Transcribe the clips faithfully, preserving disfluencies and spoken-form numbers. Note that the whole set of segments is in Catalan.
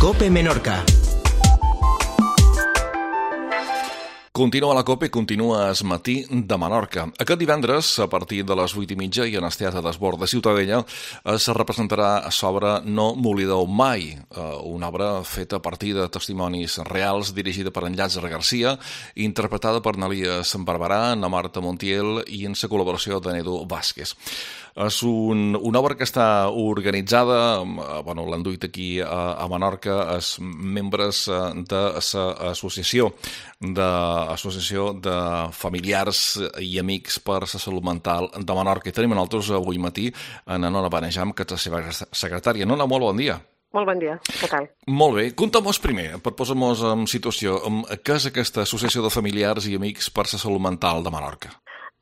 COPE Menorca. Continua la COPE, continua es matí de Menorca. Aquest divendres, a partir de les vuit i mitja, i en el Teatre d'Esbord de Ciutadella, es representarà a l'obra No m'oblideu mai, una obra feta a partir de testimonis reals, dirigida per en Llàtzer Garcia, interpretada per Nalies Barberà, na Marta Montiel i en la col·laboració de Nedu Vázquez. És un, una obra que està organitzada, bueno, l'han duit aquí a, a Menorca, els membres de l'associació de Associació de Familiars i Amics per la Salut Mental de Menorca. I tenim nosaltres avui matí en Nona Benejam, que és la seva secretària. Nona, molt bon dia. Molt bon dia, què tal? Molt bé. Conta'm-nos primer, per posar-nos en situació, què és aquesta Associació de Familiars i Amics per la Salut Mental de Menorca?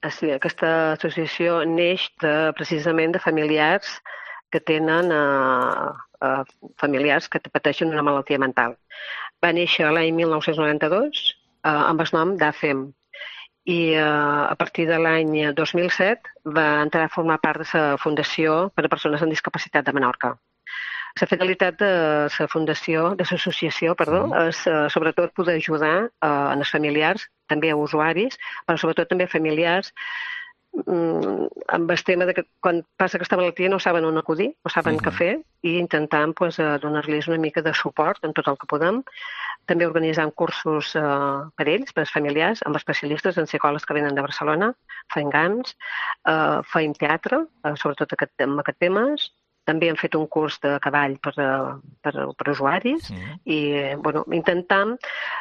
Sí, aquesta associació neix de, precisament de familiars que tenen eh, eh, familiars que pateixen una malaltia mental. Va néixer l'any mil nou-cents noranta-dos eh, amb el nom d'A F E M i eh, a partir de l'any dos mil set va entrar a formar part de la Fundació per a Persones amb Discapacitat de Menorca. La finalitat de la fundació, de l'associació, perdó, és uh, sobretot poder ajudar uh, en els familiars, també a usuaris, però sobretot també a familiars um, amb el tema de que quan passa aquesta malaltia no saben on acudir, no saben uh -huh. què fer, i intentant pues, uh, donar-los una mica de suport en tot el que podem. També organitzant cursos uh, per ells, per als familiars, amb especialistes en psicòlegs que venen de Barcelona, fent gams, uh, feim teatre, uh, sobretot aquest, amb aquests temes. També hem fet un curs de cavall per, per, per usuaris sí. i bueno, intentam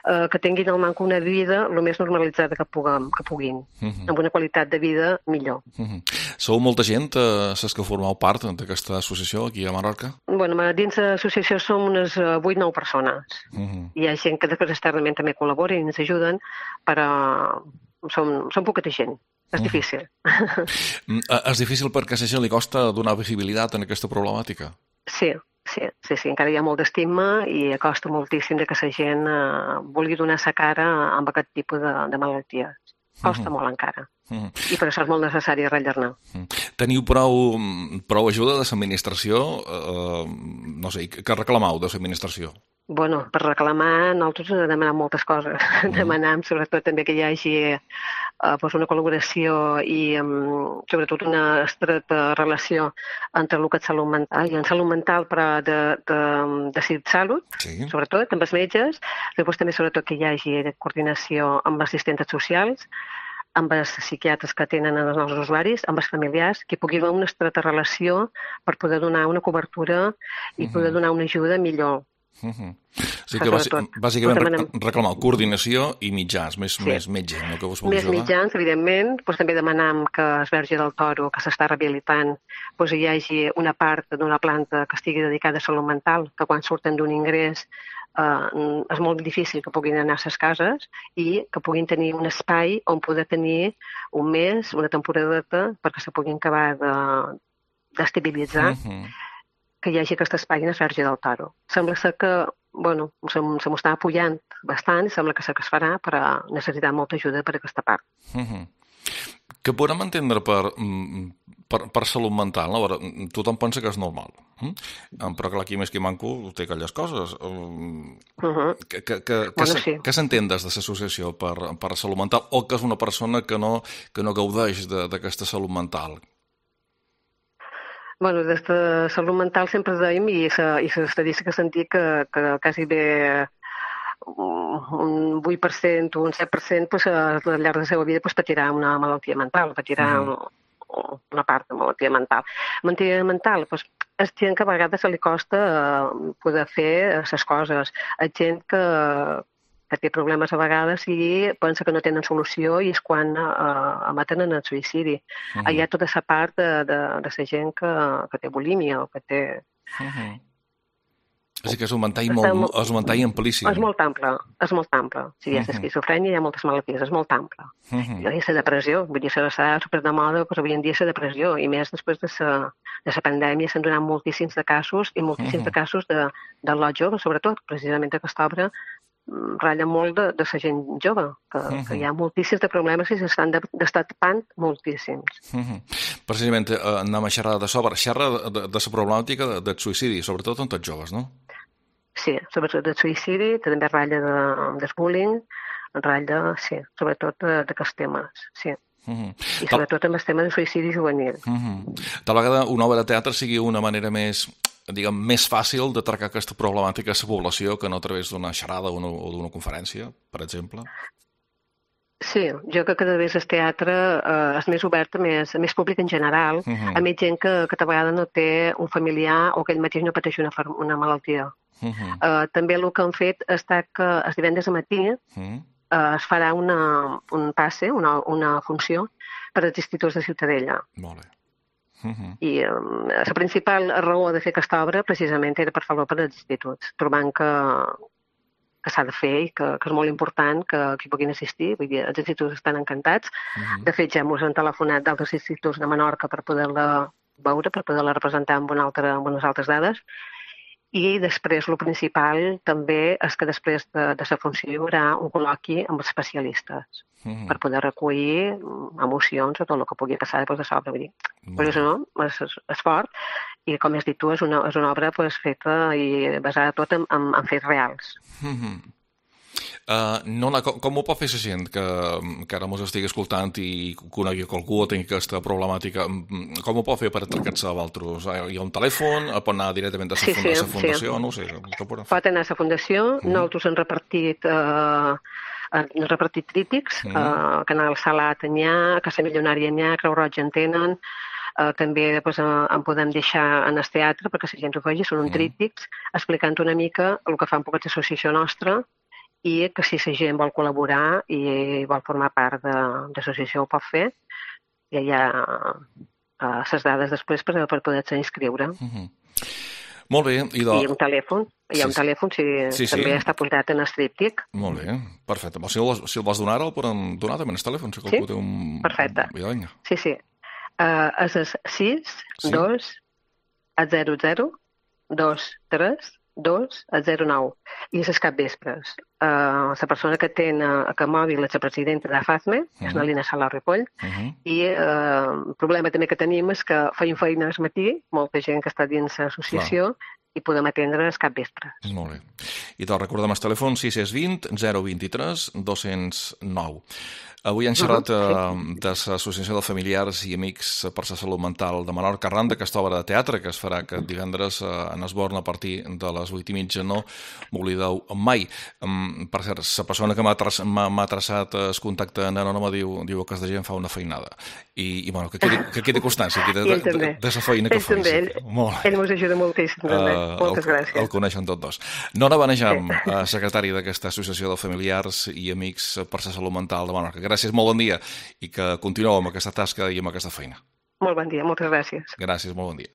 eh, que tinguin al manco una vida el més normalitzada que, puguem, que puguin, uh -huh. amb una qualitat de vida millor. Uh -huh. Sou molta gent, eh, ses que formeu part d'aquesta associació aquí a Menorca? Bueno, dins de l'associació som unes vuit o nou persones. Uh -huh. Hi ha gent que després externament també col·labora i ens ajuden, però som, som poqueta gent. És difícil. Mm. És difícil perquè a la gent li costa donar visibilitat en aquesta problemàtica? Sí, sí, sí, sí. Encara hi ha molt d'estigma i costa moltíssim que la gent eh, vulgui donar sa cara amb aquest tipus de, de malalties. Costa uh -huh. molt encara. Uh -huh. I per això és molt necessari rellenar. Uh -huh. Teniu prou, prou ajuda de l'administració? Eh, no sé, què reclameu de l'administració? Bueno, per reclamar, nosaltres demanem moltes coses. Uh -huh. Demanem, sobretot, també que hi hagi Uh, pues una col·laboració i um, sobretot una estreta relació entre el que és salut mental i en salut mental però de, de, de Salut, sí. Sobretot amb els metges, després també sobretot que hi hagi coordinació amb les assistents socials, amb els psiquiatres que tenen els nostres usuaris, amb els familiars, que pugui haver una estreta relació per poder donar una cobertura i uh-huh. poder donar una ajuda millor. Uh -huh. Sí que bàsicament demanem... reclamar coordinació i mitjans, més, sí. més metge, no? Que vos pugui més ajudar. mitjans, evidentment. Pues també demanam que el Verge del Toro, que s'està rehabilitant, pues hi hagi una part d'una planta que estigui dedicada a salut mental, que quan surten d'un ingrés eh, és molt difícil que puguin anar a les cases i que puguin tenir un espai on poder tenir un mes, una temporadeta, perquè se puguin acabar de, d'estabilitzar. Uh -huh. Que hi hagi aquest espai en el Verge del Toro. Sembla ser que, bueno, se, se m'ho està apujant bastant i sembla que sé que es farà, però necessitem molta ajuda per aquesta part. Uh -huh. Què podem entendre per, per, per salut mental? No? Tothom pensa que és normal, hm? Però clar, aquí més que manco té aquelles coses. Uh -huh. Que, que, que, bueno, sí. Què s'entén des de l'associació per, per salut mental o que és una persona que no, que no gaudeix d'aquesta salut mental? Bueno, des de salut mental sempre dèiem, i l'estadística sentia que, que quasi bé un vuit per cent o un set per cent pues, al llarg de la seva vida pues, patirà una malaltia mental, patirà uh-huh. una part de malaltia mental. Malaltia mental, pues, és gent que a vegades se li costa poder fer les coses. És gent que, que té problemes a vegades i pensa que no tenen solució i és quan uh, maten en el suïcidi. Uh-huh. Hi ha tota la part de, de, de la gent que, que té bulímia o que té... Uh-huh. És que és un ventall molt, és un ventall amplíssim. És molt ample, és molt ample. Si hi ha uh-huh. esquizofrènia, hi ha moltes malalties, és molt ample. Uh-huh. Hi ha la depressió, vull dir, s'ha super de moda, però avui en dia la depressió, i més després de la de la pandèmia s'han donat moltíssims de casos, i moltíssims uh-huh. de casos de, de la jove, sobretot, precisament aquesta obra ratlla molt de, de la gent jove, que, uh-huh. que hi ha moltíssims de problemes i s'estan d'estar tapant moltíssims. Uh-huh. Precisament, eh, anem a xerrar de sobre, xerrar de, de, de la problemàtica del suïcidi, sobretot entre els joves, no? sí, sobretot de suïcidi, també ratlla de, de bullying, ratlla, sí, sobretot d'aquests temes, sí. Uh -huh. I sobretot amb el tema de suïcidi juvenil. Uh -huh. Tal vegada una obra de teatre sigui una manera més, diguem, més fàcil de tractar aquesta problemàtica a la població que no a través d'una xerrada o d'una conferència, per exemple? Sí, jo crec que cada vegada el teatre eh, és més obert a més, a més públic en general, uh -huh. a més gent que, que tal vegada no té un familiar o que ell mateix no pateix una, una malaltia. Uh -huh. eh, també el que han fet està que els divendres a matí uh -huh. eh, es farà una, un passe, una, una funció per als instituts de Ciutadella. Molt bé. Uh -huh. I eh, la principal raó de fer aquesta obra precisament era per fer-lo per als instituts, trobant que que s'ha de fer i que, que és molt important que, que hi puguin assistir. Vull dir, els instituts estan encantats. Uh-huh. De fet, ja ens han telefonat d'altres instituts de Menorca per poder-la veure, per poder-la representar amb, una altra, amb unes altres dades. I després, el principal també és que després de, de la funció hi haurà un col·loqui amb els especialistes uh-huh. per poder recollir emocions o tot el que pugui passar després de l'obra. Vull dir, per això no, és, és, és fort. I com has dit tu, és una, és una obra pues, feta i basada tot en, en, en fets reals. Mm-hmm. uh, Nona, com, com ho pot fer la gent que, que ara mos estigui escoltant i conegui qualcú o tingui aquesta problemàtica? Com ho pot fer per atracar-se a vosaltres? Hi ha un telèfon? Pot anar directament a la sí, funda, sí, fundació? Sí. No ho sé. Pot anar a la fundació. Mm-hmm. Nosaltres hem repartit... Uh, han repartit crítics, mm. uh, Canal Salat n'hi ha, Casa Milionària n'hi ha, Creu Roja en tenen, uh, també pues, uh, en podem deixar en el teatre perquè la gent ho vegi, són un mm. tríptics, explicant una mica el que fa un poc l'associació nostra i que si la gent vol col·laborar i vol formar part de, de l'associació ho pot fer, ja hi ha les uh, dades després per, per poder-se inscriure. Mm-hmm. Molt bé. I, do... I un telèfon, hi ha un sí, telèfon, si sí, també sí. està posat en el tríptic. Molt bé, perfecte. Si el, si el vols donar ara, el podem donar també en el telèfon, si qualcú sí? té un... Perfecte. Vinga. Sí, sí. Uh, és el sis, dos, zero, zero, dos, tres, dos, zero, nou. I és el capvespres. Uh, la persona que té a que mòbil és la presidenta de FACME, uh-huh. és la Lina Sala Ripoll, uh-huh. i uh, el problema també que tenim és que feim feina al matí, molta gent que està dins l'associació, i podem atendre els capvespres. Molt bé. I te'l recordem el telèfon sis sis dos zero dos tres dos zero nou. Avui hem xerrat uh, sí. de l'Associació de Familiars i Amics per la Salut Mental de Menorca arran d'aquesta obra de teatre que es farà aquest divendres uh, en Esborn a partir de les vuit i mitja. No m'oblideu mai. Um, per cert, la persona que m'ha traçat, traçat el contacte en Anònima diu, diu que aquesta gent fa una feinada. I, i bueno, que quedi, que quedi constància aquí de, de, de, de, de la feina que fa. Ell, ell mos ajuda moltíssim, també. Uh, Moltes el, gràcies. El coneixen tots dos. Nona Benejam, sí. secretari d'aquesta Associació de Familiars i Amics per la Salut Mental de Menorca. Gràcies, molt bon dia, i que continueu amb aquesta tasca i amb aquesta feina. Molt bon dia, moltes gràcies. Gràcies, molt bon dia.